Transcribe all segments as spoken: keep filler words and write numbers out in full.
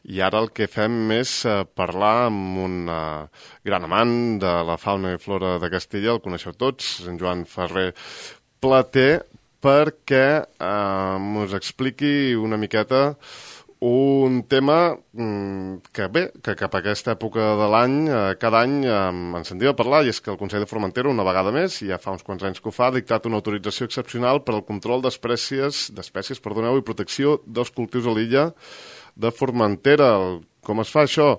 I ara el que fem és uh, parlar amb un uh, gran amant de la fauna i flora de Castella, el coneixeu tots, en Joan Ferrer Plater, perquè uh, ens expliqui una miqueta un tema que bé, que cap a aquesta època de l'any, eh, cada any eh, ens sentim a parlar, i és que el Consell de Formentera, una vegada més, ja fa uns quants anys que ho fa, ha dictat una autorització excepcional per al control d'espècies, d'espècies, perdoneu, i protecció dels cultius a l'illa de Formentera. Com es fa això?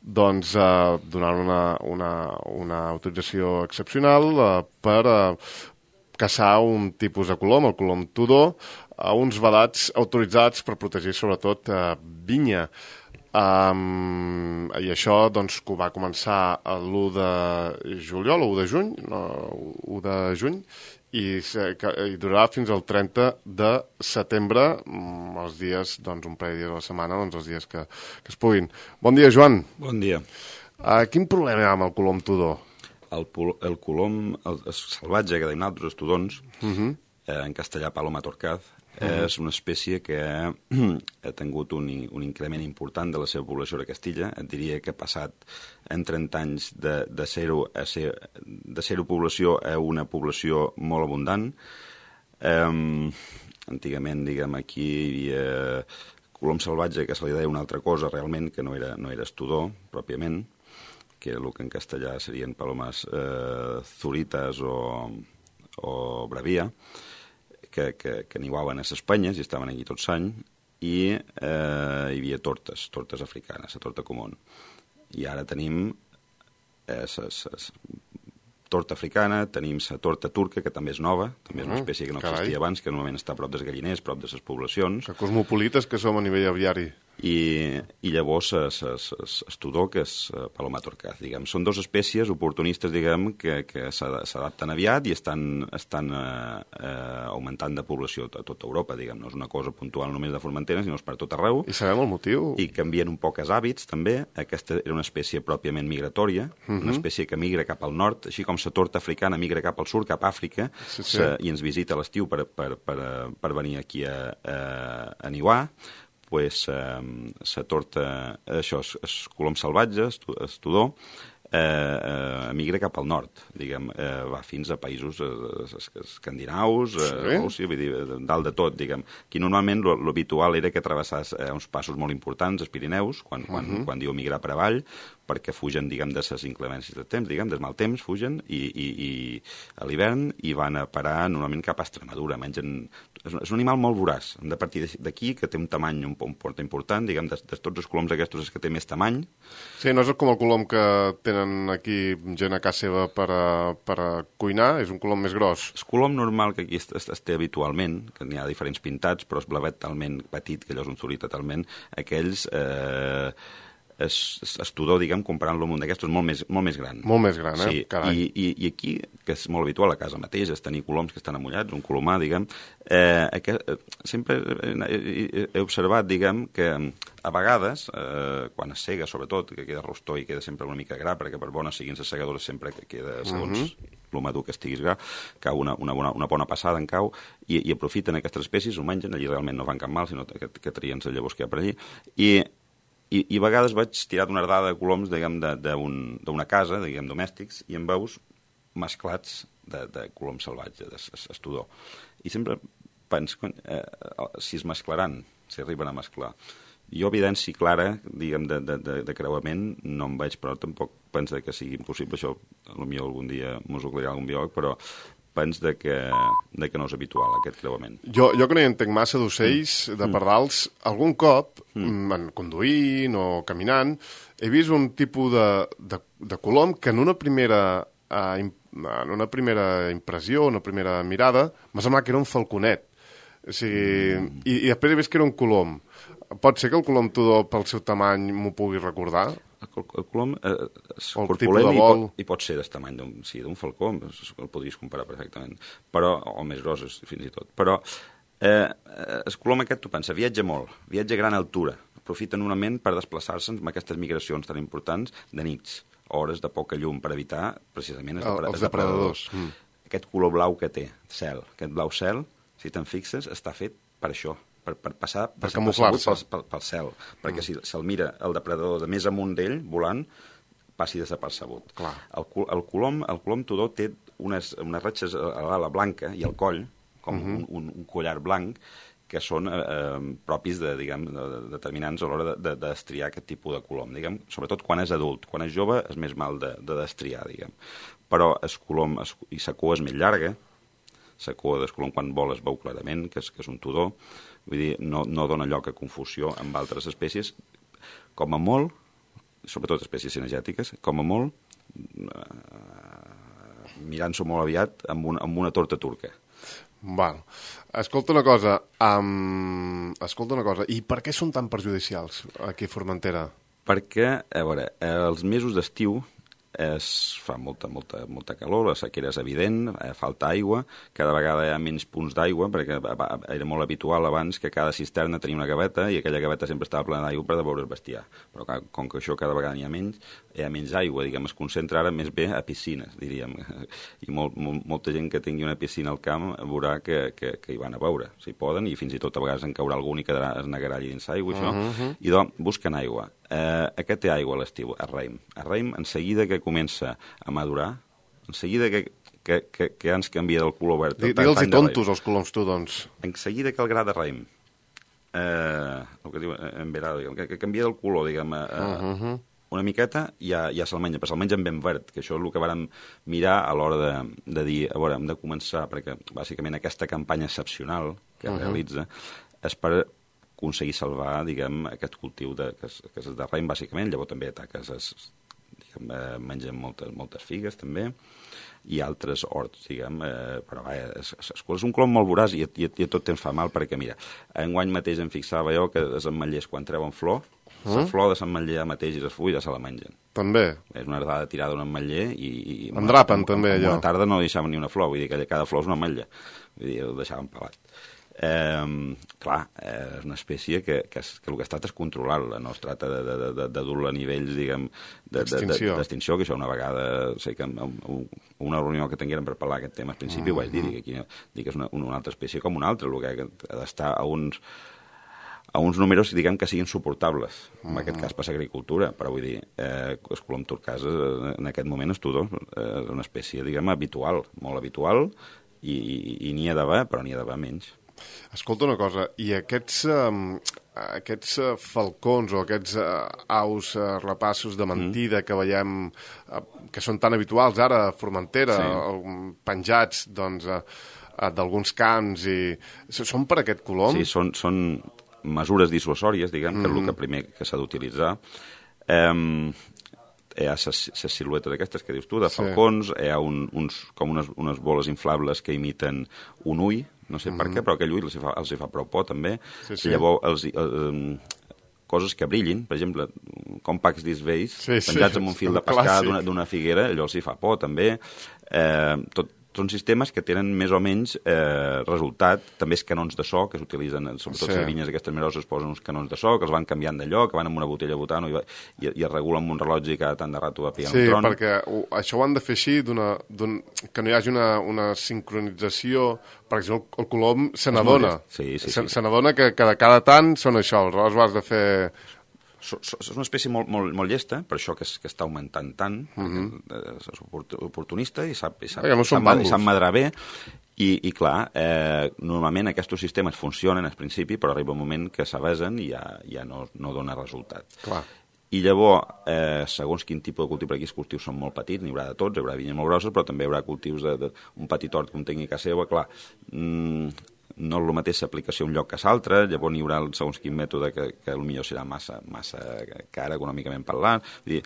Doncs eh, donant una, una, una autorització excepcional eh, per eh, caçar un tipus de colom, el colom tudor, a uns vedats autoritzats per protegir sobretot eh, vinya. Um, I això doncs, que ho va començar l'u de juliol, o u de juny, no, u de juny, i, que, i durarà fins al trenta de setembre, els dies, doncs, un parell de dies a la setmana, doncs, els dies que, que es puguin. Bon dia, Joan. Bon dia. Uh, quin problema hi ha amb el colom tudor? El, el colom el, el salvatge, que deim altres estudons, uh -huh. eh, en castellà Paloma torcaz, uh -huh. és una espècie que ha, ha tingut un, un increment important de la seva població a Castilla. Et diria que ha passat en trenta anys de, de, zero, a ser, de zero població a una població molt abundant. Eh, antigament, diguem, aquí hi havia colom salvatge, que se li deia una altra cosa realment, que no era, no era estudor, pròpiament, que el que en castellà serien palomes eh, zurites o, o bravia, que, que, que niuaven a les penyes i estaven aquí tot l'any, i eh, hi havia tortes, tortes africanes, la torta comú. I ara tenim eh, ses, ses, torta africana, tenim la torta turca, que també és nova, també és una espècie que no Carai. existia abans, que normalment està a prop dels galliners, prop de les poblacions. Que cosmopolites que som a nivell aviari. I, i llavors estudor, que és Paloma torcaz, diguem. Són dues espècies oportunistes, diguem, que, que s'adapten aviat i estan, estan eh, eh, augmentant de població a tota Europa, diguem. No és una cosa puntual només de Formentera, sinó és per tot arreu. I sabem el motiu? I canvien un poc els hàbits, també. Aquesta era una espècie pròpiament migratòria, uh -huh. una espècie que migra cap al nord, així com la torta africana migra cap al sud, cap a Àfrica, sí, sí. Se, i ens visita a l'estiu per, per, per, per venir aquí a, a, a niuar. Pues, eh, la torta, això, és, és colom salvatge, estudor, eh, eh, migra cap al nord, diguem, eh, va fins a països eh, escandinaus, eh, sí? o sigui, vull dir, dalt de tot, diguem. Aquí normalment l'habitual era que travessàs eh, uns passos molt importants, els Pirineus, quan, quan, uh -huh. quan diu migrar per avall, perquè fugen, diguem, de les inclemències de temps, diguem, del mal temps, fugen, i, i, i a l'hivern, i van a parar normalment cap a Extremadura, mengen... És un, és un animal molt voraç, hem de partir d'aquí, que té un tamany un, un port important, diguem, de, de tots els coloms aquests és que té més tamany. Sí, no és com el colom que tenen aquí gent a casa seva per a, per a cuinar, és un colom més gros. El colom normal que aquí es, es, es té habitualment, que n'hi ha diferents pintats, però és blavet talment petit, que allò és un zurí totalment, aquells... Eh, és, és estudor, diguem, comparant-lo amb un d'aquests, és molt més, molt més gran. Molt més gran, eh? Sí, i, i, i aquí, que és molt habitual a casa mateix, és tenir coloms que estan amullats, un colomar, diguem, eh, aquest, eh, sempre he, he observat, diguem, que a vegades, eh, quan es sega, sobretot, que queda rostor i queda sempre una mica gra, perquè per bones siguin les segadores sempre que queda, segons uh -huh. el madur que estiguis gra, cau una, una, bona, una bona passada en cau, i, i aprofiten aquestes espècies, ho mengen, allí realment no fan cap mal, sinó que, que trien les llavors que hi ha per allí, i I, i a vegades vaig tirar d'una ardada de coloms, diguem, d'una casa, diguem, domèstics, i em veus mesclats de, de colom salvatge, d'estudor. I sempre penso, eh, si es mesclaran, si arriben a mesclar. Jo, evidència clara, diguem, de, de, de, de creuament, no em veig, però tampoc penso que sigui impossible. Això, potser algun dia m'ho aclarirà algun biòleg, però penso de que, de que no és habitual, aquest creuament. Jo, jo que no hi entenc massa d'ocells, mm. de pardals, algun cop, mm. conduint o caminant, he vist un tipus de, de, de colom que en una primera... Eh, en una primera impressió, una primera mirada, m'ha semblat que era un falconet. O sigui, mm. i, i després he vist que era un colom. Pot ser que el colom tudor, pel seu tamany, m'ho pugui recordar? El, el colom eh, és corpulent i pot, i pot ser d'aquest tamany, d'un sí, falcó, el podries comparar perfectament, però, o més grosses, fins i tot. Però eh, el colom aquest, tu pensa, viatja molt, viatja a gran altura, aprofita normalment per desplaçar-se amb aquestes migracions tan importants de nits, hores de poca llum, per evitar precisament els, el, els depredadors. Mm. Aquest color blau que té, cel, aquest blau cel, si te'n fixes, està fet per això, per, per passar per desapercebut pel, pel, pel cel, perquè mm. si se'l mira el depredador de més amunt d'ell, volant, passi desapercebut. Clar. El, el, colom, el colom tudó té unes, unes ratxes a l'ala blanca i al coll, com mm -hmm. un, un, un collar blanc, que són eh, propis de, diguem, de, de, determinants a l'hora de, de destriar aquest tipus de colom, diguem, sobretot quan és adult. Quan és jove és més mal de, de destriar, diguem. Però el colom es, i la cua és més llarga, la cua del colom quan vol es veu clarament, que és, que és un tudó, vull dir, no, no dona lloc a confusió amb altres espècies. Com a molt, sobretot espècies cinegètiques, com a molt, eh, mirant-s'ho molt aviat, amb una, amb una torta turca. Val. Escolta una cosa, um, escolta una cosa, i per què són tan perjudicials aquí a Formentera? Perquè, a veure, els mesos d'estiu es fa molta, molta, molta calor, la sequera és evident, eh, falta aigua, cada vegada hi ha menys punts d'aigua, perquè era molt habitual abans que cada cisterna tenia una gaveta i aquella gaveta sempre estava plena d'aigua per devoure el bestiar. Però com que això cada vegada n'hi ha menys, hi ha menys aigua, diguem, es concentra ara més bé a piscines, diríem. I molt, molt, molta gent que tingui una piscina al camp veurà que, que, que hi van a veure, si poden, i fins i tot a vegades en caurà algun i quedarà, es negarà allà dins aigua, això, uh -huh. i doncs busquen aigua. Eh, aquest té aigua a l'estiu, el raïm. El raïm, en seguida que comença a madurar, en seguida que, que, que, que ens canvia del color verd... Digue'ls-hi tontos, els coloms tudons. En seguida que el gra de raïm, eh, el que diu en Verà, que, que canvia del color, diguem, eh, uh -huh. una miqueta, ja, ja se'l menja, però se'l menja ben verd, que això és el que vàrem mirar a l'hora de, de dir, a veure, hem de començar, perquè bàsicament aquesta campanya excepcional que uh -huh. realitza és per aconseguir salvar, diguem, aquest cultiu de, que, és, que és de raïm, bàsicament. Llavors també ataques, es, diguem, eh, mengen moltes, moltes figues, també, i altres horts, diguem, eh, però va, és, és, és un colom molt voràs i, i, i tot temps fa mal, perquè, mira, enguany mateix em fixava jo que els ametllers, quan treuen flor, mm? la flor de l'ametller mateix i les fulles se la mengen. També? És una ardada tirada d'un ametller i... i Endrapen, una, també, allò. Una tarda no deixaven ni una flor, vull dir que cada flor és una ametlla. Vull dir, ho deixaven pelat. Eh, clar, eh, és una espècie que, que, és, que el que ha estat és controlar-la, no es tracta de, de, de, de dur-la a nivells, diguem, d'extinció, de, de, de, que això una vegada, sé que en una reunió que tinguérem per parlar aquest tema al principi, mm -hmm. ho vaig dir, que, aquí, que és una, una altra espècie com una altra, el que ha d'estar a uns a uns números, diguem, que siguin suportables, en mm -hmm. aquest cas per l'agricultura, però vull dir, eh, el colom turcàs en aquest moment és tudó, és una espècie, diguem, habitual, molt habitual, i, i, i n'hi ha d'haver, però n'hi ha d'haver menys. Escolta una cosa, i aquests, um, aquests uh, falcons o aquests uh, aus uh, rapassos de mentida mm. que veiem, uh, que són tan habituals ara a Formentera, sí. uh, penjats doncs, uh, uh, d'alguns camps, i són per aquest colom? Sí, són, són mesures dissuasòries, diguem, mm. que és el que primer que s'ha d'utilitzar. Um, hi ha les siluetes aquestes que dius tu, de falcons, sí. hi ha un, uns, com unes, unes boles inflables que imiten un ull, no sé mm -hmm. per què, però aquell ull els hi fa, els hi fa prou por, també. Sí, sí. Llavors, els, eh, coses que brillin, per exemple, com pacs d'isvells, sí, penjats sí. amb un fil de pescar d'una figuera, allò els hi fa por, també. Eh, tot, són sistemes que tenen més o menys eh, resultat, també els canons de so que s'utilitzen, sobretot sí. les vinyes aquestes meroses posen uns canons de so que els van canviant de lloc, que van amb una botella butano i, i, i es regula amb un rellotge i cada tant de rato va pillar sí, un tron. Sí, perquè ho, això ho han de fer així, d'una, que no hi hagi una, una sincronització, per exemple, el colom se n'adona, sí, sí, se, sí. se n'adona que cada, cada tant són això, aleshores ho has de fer... És una espècie molt, molt, molt llesta, per això que, és, que està augmentant tant, uh -huh. és oportunista i sap, i sap, no sap, sap madrar bé, i, i clar, eh, normalment aquests sistemes funcionen al principi, però arriba un moment que s'avesen i ja, ja no, no dona resultat. Clar. I llavors, eh, segons quin tipus de cultiu, per aquí els cultius són molt petits, n'hi haurà de tots, hi haurà vinyes molt grosses, però també hi haurà cultius d'un petit hort que un tingui a casa seva, clar, mmm, no és el mateix l'aplicació a un lloc que a l'altre, llavors n'hi haurà segons quin mètode que, que potser serà massa, massa car econòmicament parlant. Vull dir,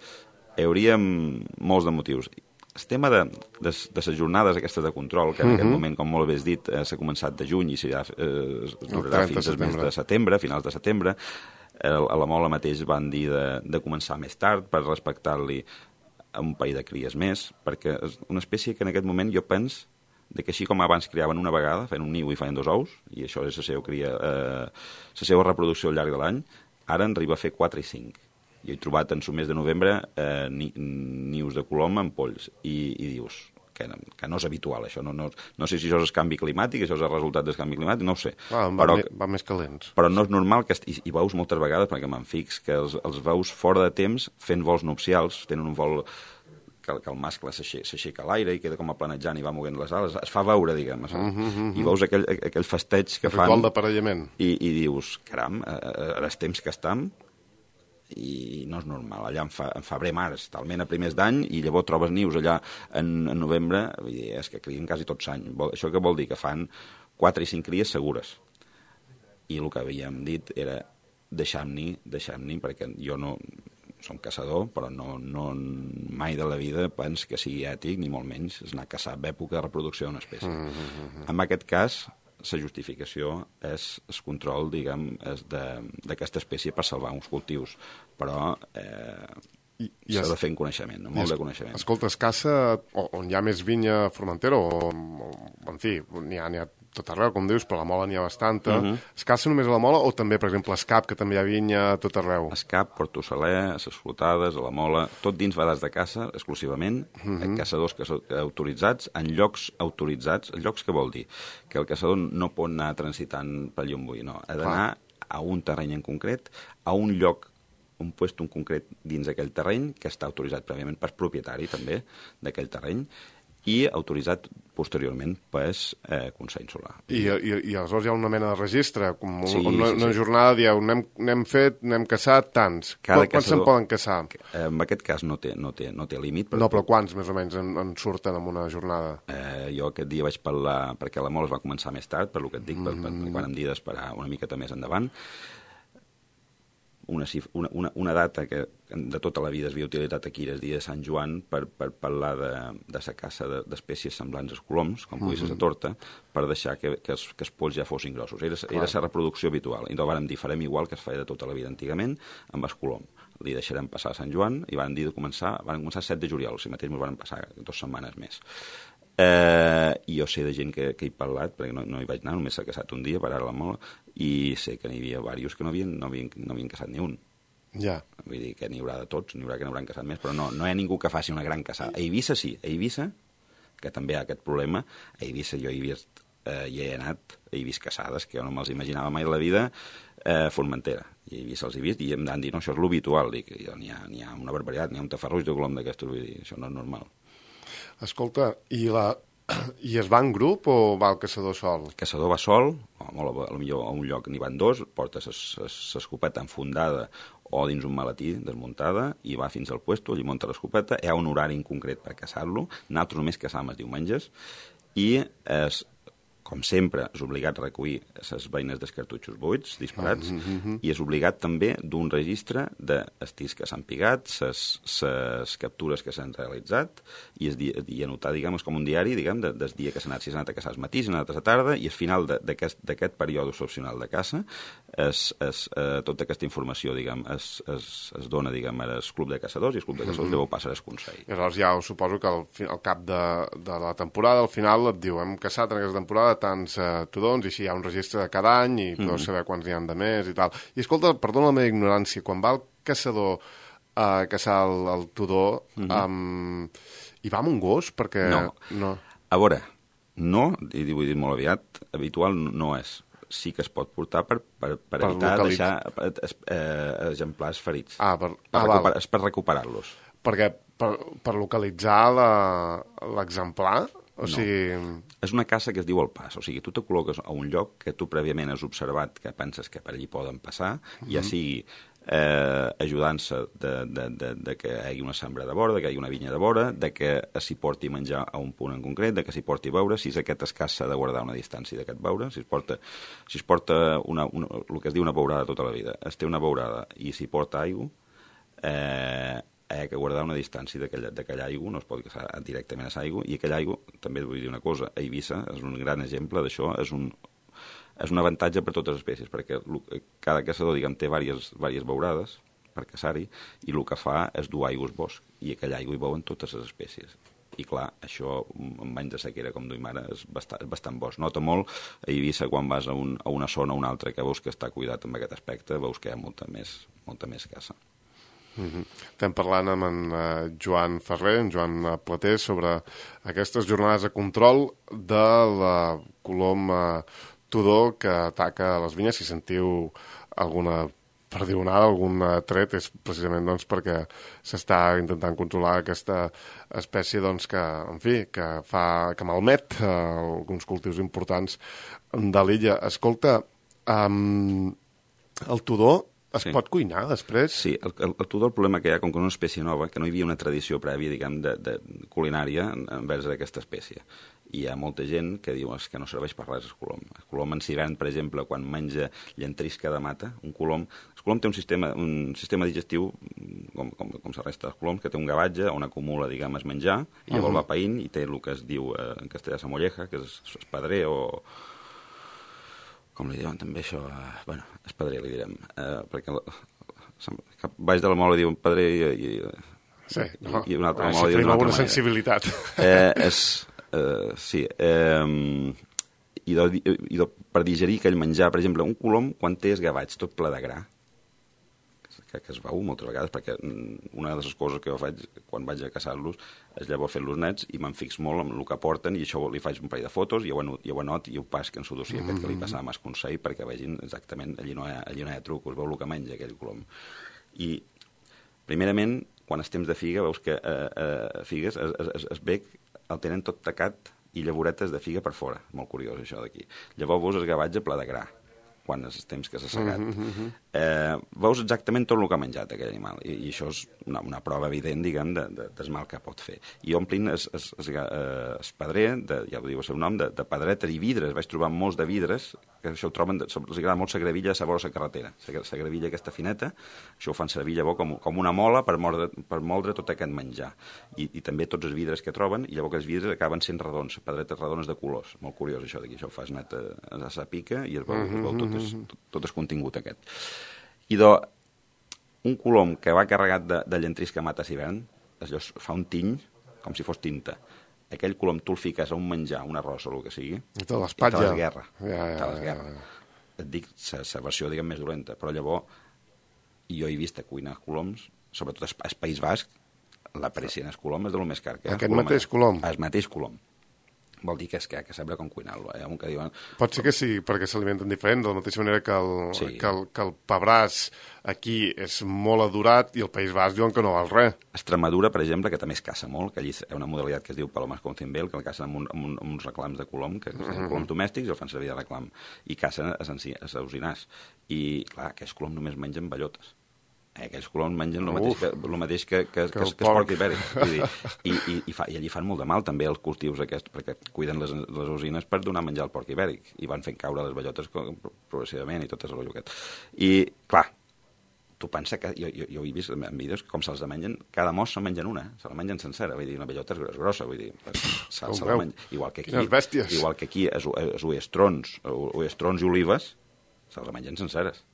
hi hauria molts de motius. El tema de, de, de les jornades aquestes de control, que en uh -huh. aquest moment, com molt bé has dit, eh, s'ha començat de juny i s'ha eh, durarà fins al mes de setembre, finals de setembre. A la Mola mateix van dir de, de començar més tard per respectar-li a un parell de cries més, perquè és una espècie que en aquest moment jo penso de que així com abans criaven una vegada, feien un niu i feien dos ous, i això és la seva, cria, eh, la seva reproducció al llarg de l'any, ara en arriba a fer quatre i cinc. Jo he trobat en el mes de novembre eh, ni, nius de colom amb polls, i, i dius, que, que no és habitual, això. No, no, no sé si això és canvi climàtic, això és el resultat del canvi climàtic, no ho sé. Ah, va, però, va més calents. Però no és normal que... I, i veus moltes vegades, perquè me'n fix, que els, els veus fora de temps fent vols nupcials, tenen un vol... Que, que el mascle s'aixeca a l'aire i queda com a planejant i va movent les ales, es fa veure, diguem, uh -huh, uh -huh. i veus aquell, aquell festeig que fan... Ritual d'aparellament. I, I dius, caram, ara és temps que estem i no és normal. Allà en, fa, en febrer, març, talment a primers d'any, i llavors trobes nius allà en, en novembre, vull dir, és que crien quasi tot l'any. Això què vol dir? Que fan quatre i cinc cries segures. I el que havíem dit era deixem-n'hi, deixem-n'hi, perquè jo no... som caçador, però no, no mai de la vida pens que sigui ètic, ni molt menys, és anar a caçar època de reproducció d'una espècie. Mm -hmm. En aquest cas, la justificació és el control, diguem, d'aquesta espècie per salvar uns cultius, però eh, s'ha de fer en coneixement, no? Molt de coneixement. Escolta, es caça on hi ha més vinya a Formentera, o, o en fi, n'hi ha, n'hi ha tot arreu, com dius, però la mola n'hi ha bastanta. Uh -huh. Es caça només a la mola o també, per exemple, a Escap, que també hi ha vinya a tot arreu? Escap, Porto Saler, a les Flotades, a la mola, tot dins vedats de caça, exclusivament, uh -huh. caçadors que són autoritzats, en llocs autoritzats. Llocs què vol dir? Que el caçador no pot anar transitant pel llomboí, no. Ha d'anar a un terreny en concret, a un lloc, un puesto en concret dins d'aquell terreny, que està autoritzat prèviament per propietari, també, d'aquell terreny, i autoritzat posteriorment per eh, Consell Insular. I, i, I aleshores hi ha una mena de registre, com sí, una, sí, sí. una jornada, dieu, n'hem fet, n'hem caçat tants. Cada quants se'n poden caçar? En aquest cas no té, no té, no té límit. Però... No, però quants més o menys en, en surten en una jornada? Eh, jo aquest dia vaig parlar, perquè la mola es va començar més tard, per lo que et dic, mm -hmm. per, per, quan em dia d'esperar una miqueta més endavant. Una, una, una, una data que de tota la vida es havia utilitzat aquí, el dia de Sant Joan, per, per parlar de, de la caça d'espècies semblants als coloms, com pugui ser la torta, per deixar que, que, els, que els polls ja fossin grossos. Era, era la reproducció habitual. I doncs vàrem dir, farem igual que es feia de tota la vida antigament, amb el colom. Li deixarem passar a Sant Joan i van dir de començar, van començar el set de juliol, si mateix ens van passar dues setmanes més. Eh, i jo sé de gent que, que he parlat, perquè no, no hi vaig anar, només s'ha casat un dia per ara la mola, i sé que n'hi havia diversos que no havien, no havien, no havien casat ni un. Ja. Vull dir que n'hi haurà de tots, n'hi haurà que n'hauran casat més, però no, no hi ha ningú que faci una gran caçada. A Eivissa sí, a Eivissa, que també hi ha aquest problema, a Eivissa jo hi, vist, eh, hi he anat, he vist caçades que jo no me'ls imaginava mai a la vida, eh, Formentera. I a Eivissa els he vist i em van dir, no, això és l'habitual, dic, n'hi ha, ha una barbaritat, n'hi ha un tafarruix de colom d'aquestos, vull dir, això no és normal. Escolta, i la... I es va en grup o va el caçador sol? El caçador va sol, o molt, potser a un lloc n'hi van dos, porta l'escopeta enfundada o dins un maletí desmuntada i va fins al puesto, allí munta l'escopeta, hi ha un horari en concret per caçar-lo, nosaltres només caçàvem els diumenges i es com sempre, és obligat a recollir les beines dels cartutxos buits, disparats, mm -hmm. i és obligat també d'un registre dels tirs que s'han pigat, les captures que s'han realitzat, i, es, i anotar, diguem, com un diari, diguem, de, del dia que s'ha anat, si s'ha anat a caçar al matí, si s'ha anat a la tarda, i al final d'aquest període excepcional de caça, es, es, eh, tota aquesta informació, diguem, es, es, es dona, diguem, al club de caçadors, i el club de caçadors mm -hmm. llavors passa al Consell. I llavors ja us suposo que al, al cap de, de la temporada, al final et diu, hem caçat en aquesta temporada tants uh, tudons, i així hi ha un registre de cada any i podeu mm. saber quants n'hi ha de més i tal. I escolta, perdona la meva ignorància, quan va el caçador a uh, caçar el, el tudor, mm -hmm. um, hi va amb un gos? Perquè... No. no. A veure, no, i ho he dit molt aviat, habitual no és. Sí que es pot portar per, per, per, per evitar localitz... deixar eh, exemplars ferits. Ah, per, per, ah, recuperar, és per recuperar-los. Perquè per, per localitzar l'exemplar... O no. sigui... És una caça que es diu el pas, o sigui, tu te col·loques a un lloc que tu prèviament has observat que penses que per allí poden passar, mm-hmm. ja sigui eh, ajudant-se de, de, de, de que hi hagi una sembra de vora, de que hi hagi una vinya de vora, de que s'hi porti menjar a un punt en concret, de que s'hi porti beure, si és aquest escàs s'ha de guardar una distància d'aquest beure, si es porta, si es porta una, una, el que es diu una beurada tota la vida, es té una beurada i s'hi porta aigua, eh, hi ha que guardar una distància d'aquella aigua, no es pot caçar directament a l'aigua, i aquella aigua, també vull dir una cosa, a Eivissa és un gran exemple d'això, és un, és un avantatge per totes les espècies, perquè cada caçador, diguem, té diverses, diverses beurades per caçar-hi, i el que fa és dur aigua al bosc, i aquella aigua hi veuen totes les espècies. I clar, això, amb anys de sequera com duim ara, és bastant, és bastant bo. Es nota molt a Eivissa quan vas a, un, a una zona o una altra que veus que està cuidat amb aquest aspecte, veus que hi ha molta més, molta més caça. Mm-hmm. Estem parlant amb en uh, Joan Ferrer, en Joan Plater, sobre aquestes jornades de control de la colom uh, Tudor que ataca les vinyes. Si sentiu alguna perdionada, algun tret, és precisament doncs, perquè s'està intentant controlar aquesta espècie doncs, que, en fi, que, fa, que malmet uh, alguns cultius importants de l'illa. Escolta, um, el Tudor es sí. pot cuinar després? Sí, el, el, el Tudor, el problema que hi ha, com que és una espècie nova, que no hi havia una tradició prèvia, diguem, de, de culinària envers d'aquesta espècie. I hi ha molta gent que diu que no serveix per res el colom. El colom en hivern, per exemple, quan menja llantrisca de mata, un colom... El colom té un sistema, un sistema digestiu, com, com, com la resta dels coloms, que té un gavatge on acumula, diguem, es menjar, i llavors uh -huh. va païnt i té el que es diu eh, en castellà sa molleja, que és espadrer o... com li diuen també això, eh, bueno, espadrer li direm, eh, perquè la, cap baix de la mola diuen padrer i, i, sí, no. i una altra ah, mola diu d'una altra manera. Sensibilitat. Eh, és, eh, sí, eh, i, do, i do, per digerir aquell menjar, per exemple, un colom, quan té esgavats tot ple de gra, que, que es veu moltes vegades, perquè una de les coses que jo faig quan vaig a caçar-los és llavors fer-los nets i me'n fix molt amb el que porten i això li faig un parell de fotos i ho, i ho anot i ho pasc en su dossier mm -hmm. aquest que li passa a Mas Consell perquè vegin exactament, allí no hi ha, allí no hi ha truc, us veu el que menja aquell colom. I primerament, quan és temps de figa, veus que eh, eh, figues, es, es, es bec el tenen tot tacat i llavoretes de figa per fora, molt curiós això d'aquí. Llavors veus el gavatge ple de gra quan és temps que s'ha segat. Mm -hmm. eh, veus exactament tot el que ha menjat aquell animal, i, i això és una, una prova evident, diguem, de, de, del mal que pot fer. I omplin es, es, es, es padrer, de, ja ho diu el seu nom, de, de pedretes i vidres. Vaig trobar molts de vidres, que això ho troben, de, els agrada molt la gravilla a la carretera, la gravilla aquesta fineta, això ho fan servir llavors com, com una mola per moldre, per moldre tot aquest menjar. I, I també tots els vidres que troben, i llavors els vidres acaben sent redons, pedretes redones de colors. Molt curiós això d'aquí, això ho fas net a, a la pica i es veu, es veu tot és, tot, tot és contingut aquest. I do, un colom que va carregat de, de llantris que mata a l'hivern, allò fa un tiny com si fos tinta. Aquell colom tu el fiques a un menjar, un arròs o el que sigui, i te l'espatlla. I te l'esguerra. Ja, ja, te l'esguerra. Ja, ja. Et dic, la versió, diguem, més dolenta, però llavors jo he vist a cuinar coloms, sobretot al País Basc, la pressió el colom és de lo més car que hi ha. Aquest mateix colom? El mateix colom. Vol dir que és que, que sembla com cuinar-lo. Eh? Que diuen... Pot ser que sí, perquè s'alimenten diferent, de la mateixa manera que el, sí. que el, que el pebràs aquí és molt adorat i el País Basc diuen que no val res. Extremadura, per exemple, que també es caça molt, que allí hi ha una modalitat que es diu palomas con cimbel, que el cacen amb, un, amb, un, amb uns reclams de colom, que són uh -huh. coloms domèstics i el fan servir de reclam, i cacen a saucinars. I, clar, aquests coloms només mengen bellotes. Eh, aquells coloms mengen el mateix, que, el mateix que, que, que, que, que el porc ibèric. Vull dir, i, i, i, fa, I allí fan molt de mal també els cultius aquests, perquè cuiden les, les usines per donar menjar al porc ibèric, i van fent caure les bellotes progressivament i tot és el rotllo aquest. I, clar, tu pensa que... Jo, jo, jo he vist en vídeos com se'ls mengen, cada mos se'n mengen una, se la mengen sencera, vull dir, una bellota és grossa, vull dir, se, se la mengen. Igual que aquí, igual que aquí els, els uestrons, uestrons i olives, se'ls mengen senceres.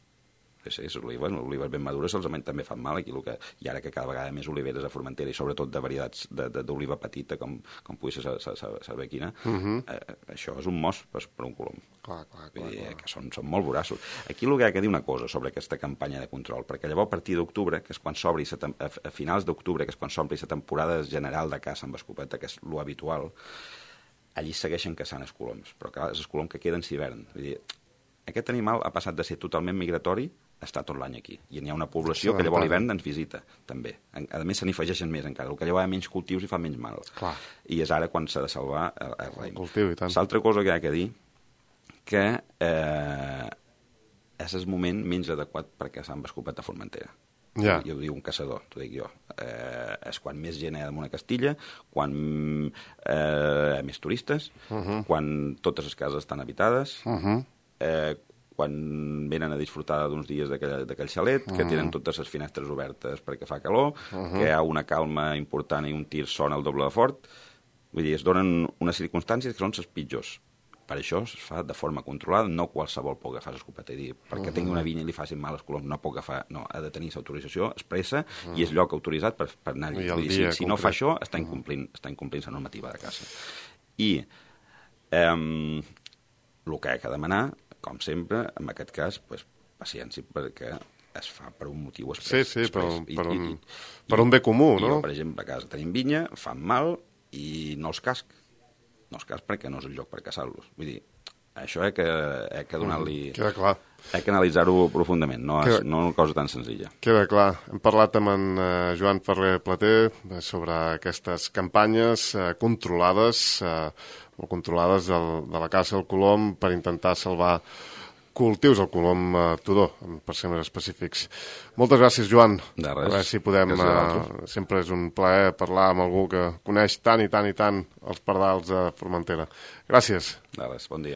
Sí, les olives, les olives ben madures se'ls també fan mal aquí, el que, i ara que cada vegada més oliveres a Formentera i sobretot de varietats d'oliva petita com, com pugui ser la bequina, uh -huh. eh, això és un mos per, per un colom. Clar, clar, Vull dir, clar. que són, són molt voraços. Aquí el que ha de dir una cosa sobre aquesta campanya de control, perquè llavors a partir d'octubre, que és quan s'obri a, a finals d'octubre, que és quan s'obri la temporada general de caça amb escopeta, que és lo habitual, allí segueixen caçant els coloms, però clar, és el colom que queden l'hivern. Vull dir, aquest animal ha passat de ser totalment migratori a estar tot l'any aquí. I n'hi ha una població que llavors a l'hivern ens visita, també. A més, se n'hi afegeixen més encara. El que llavors hi ha menys cultius i fa menys mal. Clar. I és ara quan s'ha de salvar el, el raïm. El cultiu, i tant. L'altra cosa que hi ha que dir, que eh, és el moment menys adequat per caçar amb escopeta a Formentera. Ja. Jo ho dic un caçador, t'ho dic jo. Eh, és quan més gent hi ha damunt a Castilla, quan eh, hi ha més turistes, uh -huh. quan totes les cases estan habitades, uh -huh. eh, quan venen a disfrutar d'uns dies d'aquell xalet, uh -huh. que tenen totes les finestres obertes perquè fa calor, uh -huh. que hi ha una calma important i un tir sona el doble de fort. Vull dir, es donen unes circumstàncies que són les pitjors. Per això es fa de forma controlada, no qualsevol pot agafar l'escopeta i dir, perquè uh -huh. tingui una vinya i li facin mal els coloms, no pot agafar, no, ha de tenir l'autorització expressa uh -huh. i és lloc autoritzat per, per anar-hi. Vull dir, si, si no fa això, està incomplint, està incomplint la normativa de caça. I eh, el que ha de demanar, com sempre, en aquest cas, pues, paciència, perquè es fa per un motiu express. Sí, sí, per, I, per, un, i, per un bé comú, i no? Jo, per exemple, a casa tenim vinya, fan mal i no els casc. No els casc perquè no és el lloc per caçar-los. Vull dir, això he que, he que donar-li... Mm, queda clar. He que analitzar-ho profundament, no, és, Queda... no una cosa tan senzilla. Queda clar. Hem parlat amb en uh, Joan Ferrer Plater sobre aquestes campanyes uh, controlades, uh, o controlades del, de la caça al colom per intentar salvar cultius al colom uh, tudor, per ser més específics. Moltes gràcies, Joan. De res. A veure si podem... Uh, sempre és un plaer parlar amb algú que coneix tant i tant i tant els pardals de Formentera. Gràcies. De res, bon dia.